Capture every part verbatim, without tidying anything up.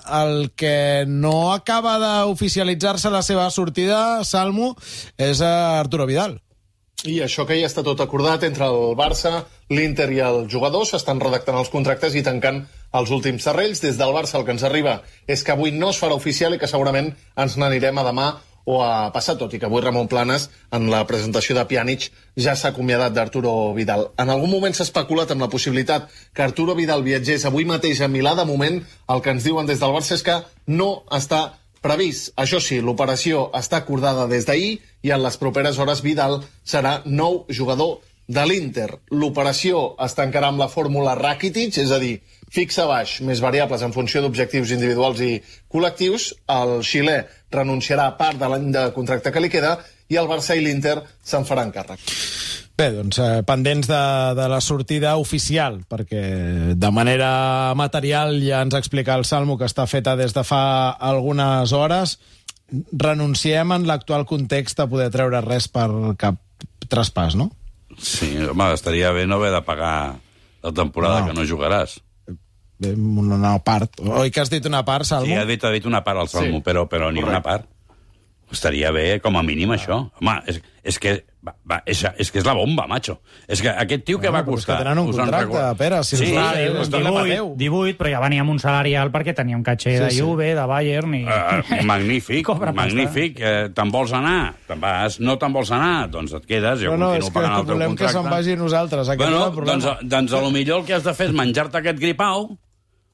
el que no acaba d'oficialitzar-se la seva sortida, Salmo, és Arturo Vidal. I això que ja està tot acordat entre el Barça, l'Inter i el jugador, s'estan redactant els contractes i tancant els últims serrells. Des del Barça el que ens arriba és que avui no es farà oficial i que segurament ens n'anirem a demà o a passar, tot i que avui Ramon Planes, en la presentació de Pjanic, ja s'ha acomiadat d'Arturo Vidal. En algun moment s'ha especulat amb la possibilitat que Arturo Vidal viatgés avui mateix a Milà. De moment, el que ens diuen des del Barça és que no està previst. Això sí, l'operació està acordada des d'ahir i en les properes hores Vidal serà nou jugador de l'Inter. L'operació es tancarà amb la fórmula Rakitic, és a dir, fixa baix, més variables en funció d'objectius individuals i col·lectius. El xilè renunciarà a part de l'any de contracte que li queda i el Barça i l'Inter se'n faran càrrec. Bé, doncs, eh, pendents de, de la sortida oficial, perquè de manera material ja ens explica el Salmo que està feta des de fa algunes hores. Renunciem en l'actual context a poder treure res per cap traspàs, no? Sí, home, estaria bé no haver de pagar la temporada no. que no jugaràs. Bé, una part. Oi que has dit una part, Salmo? Sí, ha dit, ha dit una part al Salmo, sí. però, però ni Correcte. Una part. Estaria bé, com a mínim, ah. això. Home, és, és que... Va, va, és, és que és la bomba, macho. És que aquest tio que bueno, va costar... És que tenen un contracte, record... Pere. Si sí, clar, sí, és divuit, divuit, però ja venia amb un salari alt perquè tenia un caché sí, de Juve, sí. de Bayern... I... Uh, magnífic, magnífic. Eh, te'n vols anar? Te'n vas. No te'n vols anar? Doncs et quedes. Jo no, no, continuo pagant el teu contracte. és que volem que se'n vagi nosaltres. Bueno, doncs, doncs a lo millor el que has de fer és menjar-te aquest gripau,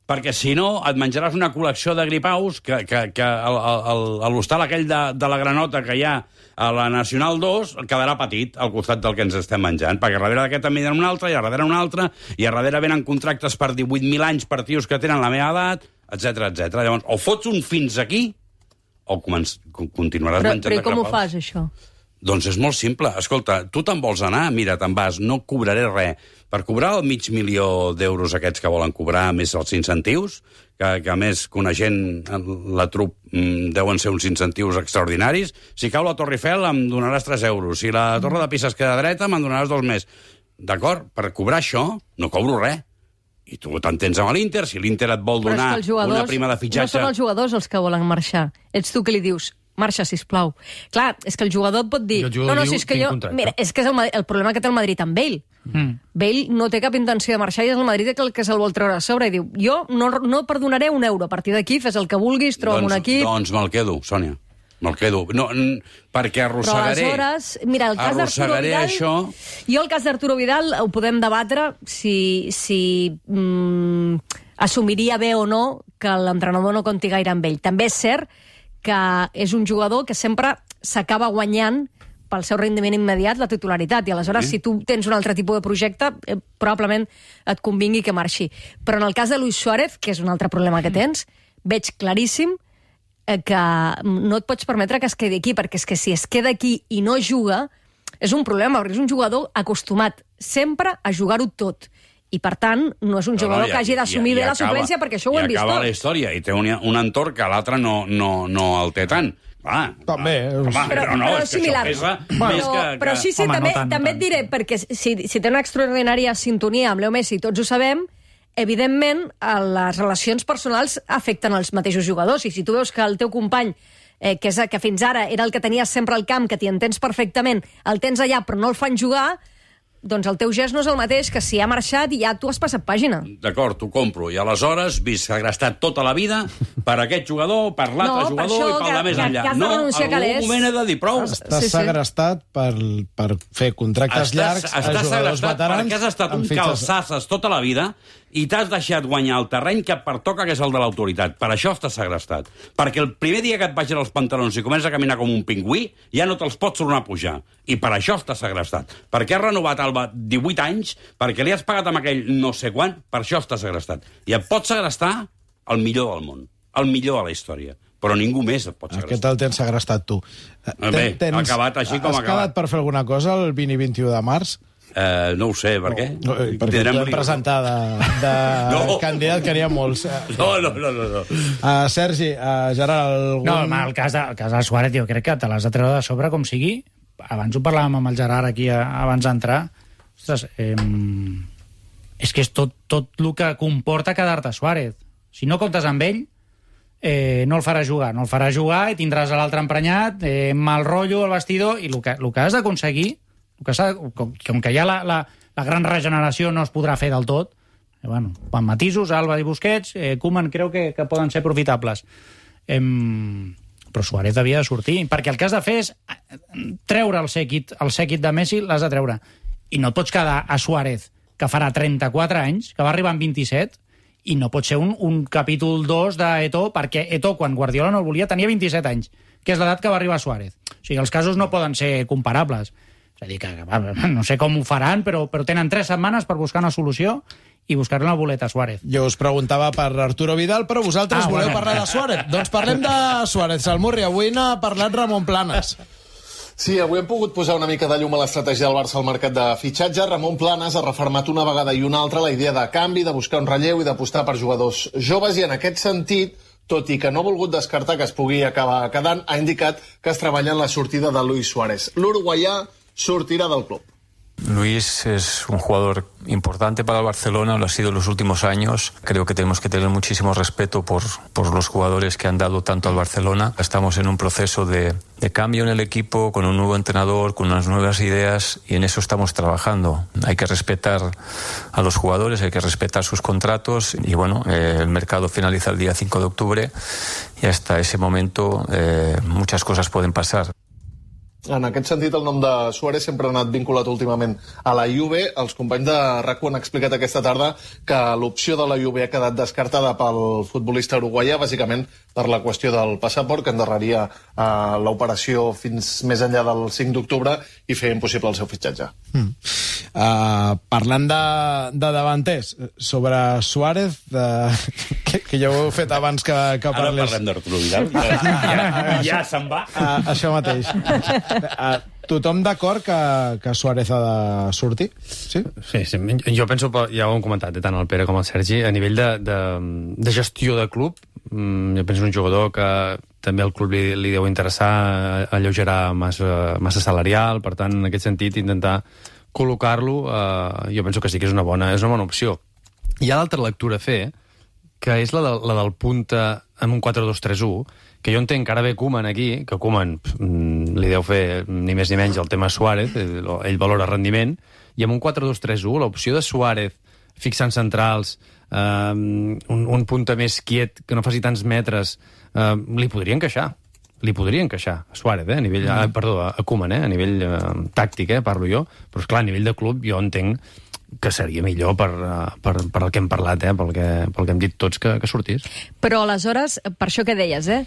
perquè si no et menjaràs una col·lecció de gripaus que, que, que a l'hostal aquell de, de la Granota que hi ha a la Nacional dos quedarà petit al costat del que ens estem menjant, perquè a darrere d'aquest també hi ha un altre, i a darrere un altre, i a darrere venen contractes per divuit mil anys per tios que tenen la meva edat, etcètera, etcètera. Llavors, o fots un fins aquí, o continuaràs però, menjant però de com grapaus. ho fas, això? Doncs és molt simple. Escolta, tu te'n vols anar? Mira, te'n vas, no cobraré res. Per cobrar el mig milió d'euros aquests que volen cobrar, més els incentius, que, que a més, coneixent la trup, deuen ser uns incentius extraordinaris, si cau la Torre Eiffel em donaràs tres euros, si la Torre de Pisa es queda dreta me'n donaràs dos més. D'acord? Per cobrar això no cobro res. I tu t'entens amb l'Inter, si l'Inter et vol donar una prima de fitxatge... No són els jugadors els que volen marxar. Ets tu que li dius... marxa, sisplau. Clar, és que el jugador et pot dir... No, no, si és que jo... Mira, és que és el, el problema que té el Madrid amb Bale. Mm. Bale no té cap intenció de marxar i és el Madrid el que se'l vol treure a sobre i diu, jo no, no perdonaré un euro. A partir d'aquí fes el que vulguis, troba'm doncs, un equip... Doncs me'l quedo, Sònia. Me'l quedo. No, perquè arrossegaré... Però aleshores... Mira, el cas d'Arturo Vidal... Això... Jo el cas d'Arturo Vidal ho podem debatre si, si mm, assumiria bé o no que l'entrenador no compti gaire amb ell. També és cert que és un jugador que sempre s'acaba guanyant pel seu rendiment immediat la titularitat, i aleshores sí. si tu tens un altre tipus de projecte eh, probablement et convingui que marxi. Però en el cas de Luis Suárez, que és un altre problema que tens, veig claríssim eh, que no et pots permetre que es quedi aquí, perquè és que si es queda aquí i no juga, és un problema, perquè és un jugador acostumat sempre a jugar-ho tot. I, per tant, no és un jugador no, no, que hagi d'assumir bé la suplència, perquè això ho hem vist tots. I acaba la història, i té un, un entorn que l'altre no, no, no el té tant. Ah, també. Home, però, però no, però és que similar. això pesa bueno, més que... Però sí, sí, Home, també, no tant, també no et diré, perquè si, si té una extraordinària sintonia amb Leo Messi, tots ho sabem, evidentment, les relacions personals afecten els mateixos jugadors, i si tu veus que el teu company eh, que, és, que fins ara era el que tenies sempre al camp, que t'hi entens perfectament, el tens allà però no el fan jugar, doncs el teu gest no és el mateix que si ha marxat i ja tu has passat pàgina. D'acord, t'ho compro. I aleshores, vist segrestat tota la vida per aquest jugador, per l'altre no, jugador i pel de més enllà. Que, que no, en algun moment he de dir prou. Estàs sí, sí. segrestat per, per fer contractes estàs, llargs estàs a jugadors veterans. Perquè has estat un calçasses tota la vida i t'has deixat guanyar el terreny que et pertoca, que és el de l'autoritat. Per això estàs segrestat. Perquè el primer dia que et baixen els pantalons i comences a caminar com un pingüí, ja no te'ls pots tornar a pujar. I per això estàs segrestat. Perquè has renovat Alba divuit anys, perquè li has pagat amb aquell no sé quan, per això estàs segrestat. I et pots segrestar el millor del món, el millor de la història. Però ningú més et pot segrestar. Aquest el tens segrestat tu. Bé, ha acabat així com ha acabat. Has quedat per fer alguna cosa el vint i vint-i-u de març? Uh, no ho sé, per què? No, perquè t'hem presentat de, de no. candidat, que n'hi ha molts. No, no, no. no, no. Uh, Sergi, uh, Gerard, algun... No, el cas de, el cas de Suárez, jo crec que te l'has de treure de sobre com sigui. Abans ho parlàvem amb el Gerard aquí, abans d'entrar. Ostres, eh, és que és tot, tot el que comporta quedar-te Suárez. Si no comptes amb ell, eh, no el farà jugar, no el farà jugar i tindràs l'altre emprenyat, eh, mal rotllo al vestidor, i el que, el que has d'aconseguir, com, com que ja la, la, la gran regeneració no es podrà fer del tot, eh, bueno, amb matisos, Alba i Busquets, eh, Koeman creu que, que poden ser profitables. Eh, però Suárez havia de sortir, perquè el que has de fer és treure el sèquit, el sèquit de Messi l'has de treure. I no et pots quedar a Suárez, que farà trenta-quatre anys, que va arribar amb vint-i-set, i no pot ser un, un capítol dos d'Eto'o, perquè Eto'o, quan Guardiola no el volia, tenia vint-i-set anys, que és l'edat que va arribar Suárez. O sigui, els casos no poden ser comparables. És a dir, que no sé com ho faran, però, però tenen tres setmanes per buscar una solució i buscar una boleta a Suárez. Jo us preguntava per Arturo Vidal, però vosaltres ah, voleu bueno. parlar de Suárez. Doncs parlem de Suárez. Salmurri, avui n'ha parlat Ramon Planes. Sí, avui hem pogut posar una mica de llum a l'estratègia del Barça al mercat de fitxatge. Ramon Planes ha refermat una vegada i una altra la idea de canvi, de buscar un relleu i d'apostar per jugadors joves, i en aquest sentit, tot i que no ha volgut descartar que es pugui acabar quedant, ha indicat que es treballa en la sortida de Luis Suárez. L'uruguaià sortirà del club. Luis es un jugador importante para el Barcelona, lo ha sido en los últimos años. Creo que tenemos que tener muchísimo respeto por, por los jugadores que han dado tanto al Barcelona. Estamos en un proceso de, de cambio en el equipo, con un nuevo entrenador, con unas nuevas ideas, y en eso estamos trabajando. Hay que respetar a los jugadores, hay que respetar sus contratos, y bueno, eh, el mercado finaliza el día cinco de octubre y hasta ese momento eh, muchas cosas pueden pasar. En aquest sentit, el nom de Suárez sempre ha anat vinculat últimament a la Juve. Els companys de RAC U han explicat aquesta tarda que l'opció de la Juve ha quedat descartada pel futbolista uruguaià, bàsicament per la qüestió del passaport, que endarreria eh, l'operació fins més enllà del cinc d'octubre i feia impossible el seu fitxatge. Mm. Uh, parlant de, de davanters, sobre Suárez, uh, que, que ja ho heu fet abans que, que parlés... Ara parlem d'Arturo Vidal. Ja, ja, ja se'n va. Uh, això mateix. Uh, tothom d'acord que, que Suárez ha de sortir? Sí? Sí, sí, jo penso, ja ho hem comentat, tant el Pere com el Sergi, a nivell de, de, de gestió de club, jo penso un jugador que també el club li, li deu interessar alleugerar massa, massa salarial, per tant, en aquest sentit, intentar col·locar-lo, eh, jo penso que sí que és una bona, és una bona opció. Hi ha l'altra lectura a fer, que és la, de, la del punta amb un quatre dos tres u, que jo entenc que ara ve Koeman aquí, que Koeman pff, li deu fer ni més ni menys el tema Suárez, ell, ell valora rendiment, i amb un quatre dos tres u, l'opció de Suárez fixant centrals, eh, un, un punta més quiet, que no faci tants metres, eh, li podria encaixar. Li podria encaixar a Suárez, eh, a nivell, mm. eh, perdó, a Koeman, eh, a nivell eh, tàctic, eh, parlo jo, però esclar, a nivell de club jo entenc que seria millor per, per, per el que hem parlat, eh, pel, que, pel que hem dit tots que, que sortís. Però aleshores, per això que deies, eh,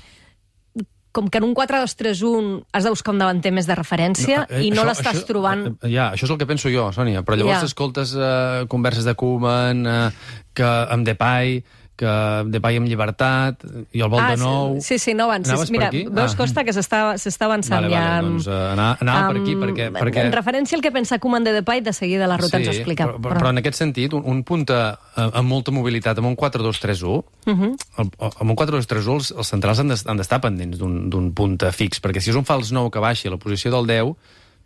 com que en un quatre dos tres u has de buscar un davanter més de referència no, eh, i no l'estàs trobant... Ja, això és el que penso jo, Sònia, però llavors ja. escoltes eh, converses de Koeman, eh, que amb Depay, que Depay amb llibertat, i el vol ah, de nou... Sí, sí, no avancis. Mira, veus, ah. Costa, que s'està avançant vale, ja... Vale, doncs uh, anava, anava um, per aquí, perquè, perquè... En referència al que pensa Koeman de Depay, de seguida la ruta sí, ens ho explica. Però, però... però en aquest sentit, un, un punta amb molta mobilitat, amb un quatre dos tres u, uh -huh. el, amb un quatre dos tres u els, els centrals han d'estar pendents d'un punta fix, perquè si és un fals nou que baixi a la posició del deu,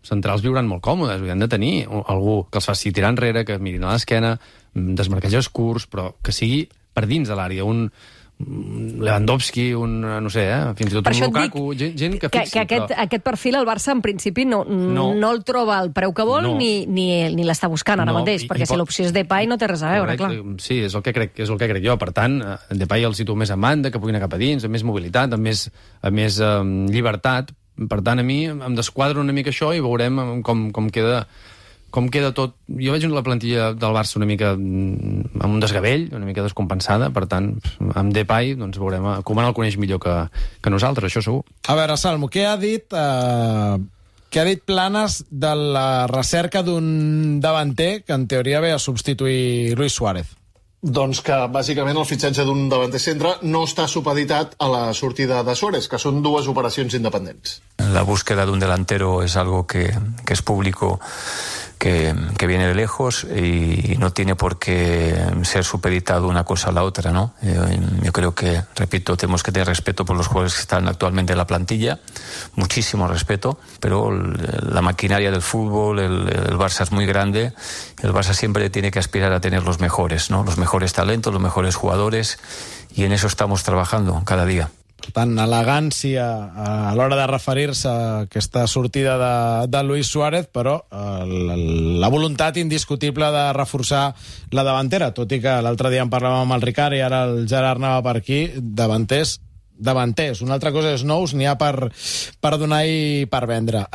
centrals viuran molt còmodes, han de tenir algú que els faci tirar enrere, que mirin a l'esquena, desmarquejos curts, però que sigui per dins de l'àrea, un Lewandowski, un, no sé, eh, fins i tot per un Lukaku, gent, gent que fixi. Que, que aquest, però... aquest perfil el Barça, en principi, no, no. no el troba al preu que vol, no. ni, ni, ni l'està buscant ara no. mateix, I, perquè i si pot... l'opció és Depay no té res a veure, Correcte. clar. Sí, és el que crec, és el que crec jo. Per tant, Depay el situa més a banda, que pugui anar cap a dins, amb més mobilitat, amb més, amb més um, llibertat. Per tant, a mi em desquadra una mica això i veurem com, com queda... com queda tot. Jo veig la plantilla del Barça una mica amb un desgavell, una mica descompensada, per tant, amb Depay, doncs veurem, Koeman el coneix millor que, que nosaltres, això segur. A veure, Salmo, què ha dit eh, què ha dit Planes de la recerca d'un davanter que en teoria ve a substituir Luis Suárez? Doncs que, bàsicament, el fitxatge d'un davanter centre no està supeditat a la sortida de Suárez, que són dues operacions independents. La búsqueda de un delantero es algo que, que es público, que, que viene de lejos y no tiene por qué ser supeditado una cosa a la otra, ¿no? Yo, yo creo que, repito, tenemos que tener respeto por los jugadores que están actualmente en la plantilla, muchísimo respeto, pero la maquinaria del fútbol, el, el Barça es muy grande, el Barça siempre tiene que aspirar a tener los mejores, ¿no? Los mejores talentos, los mejores jugadores, y en eso estamos trabajando cada día. Per tant, elegància a l'hora de referir-se a aquesta sortida de, de Luis Suárez, però eh, la voluntat indiscutible de reforçar la davantera, tot i que l'altre dia en parlàvem amb el Ricard i ara el Gerard anava per aquí, davanters, davanters. Una altra cosa és nous, n'hi ha per, per donar i per vendre.